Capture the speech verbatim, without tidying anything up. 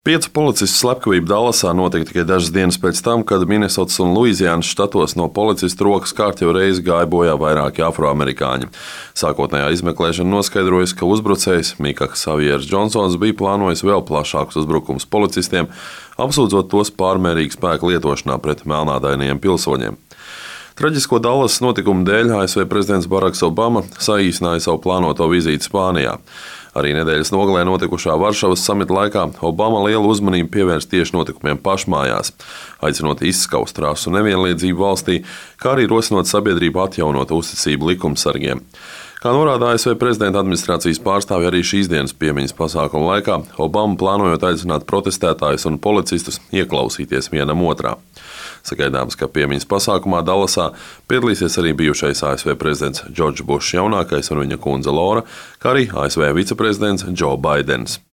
Piecu policistu slepkavība Dallasā notika tikai dažas dienas pēc tam, kad Minesotas un Luizijānas štatos no policistu rokas kārtējo reizi gāja bojā vairāki afroamerikāņi. Sākotnējā izmeklēšana noskaidrojusi, ka uzbrucējs Mika Savieris Džonsons bija plānojis vēl plašākus uzbrukumus policistiem, apsūdzot tos pārmērīgu spēku lietošanā pret melnādainajiem pilsoņiem. Traģisko Dallasas notikumu dēļ A S V prezidents Baraks Obama saīsināja savu plānoto vizīti Spānijā. Arī nedēļas nogalē notikušā Varšavas samita laikā Obama lielu uzmanību pievērsa tieši notikumiem pašmājās, aicinot izskaust rasu nevienlīdzību valstī, kā arī rosinot sabiedrību atjaunot uzticību likumsargiem. Kā norāda A S V prezidenta administrācijas pārstāvji arī šīs dienas piemiņas pasākuma laikā, Obama plānojot aicināt protestētājus un policistus ieklausīties vienam otrā. Sagaidāms, ka piemiņas pasākumā Dallasā piedalīsies arī bijušais A S V prezidents Džordžs Bušs jaunākais un viņa kundze Lora, kā arī A S V viceprezidents Džo Baidens.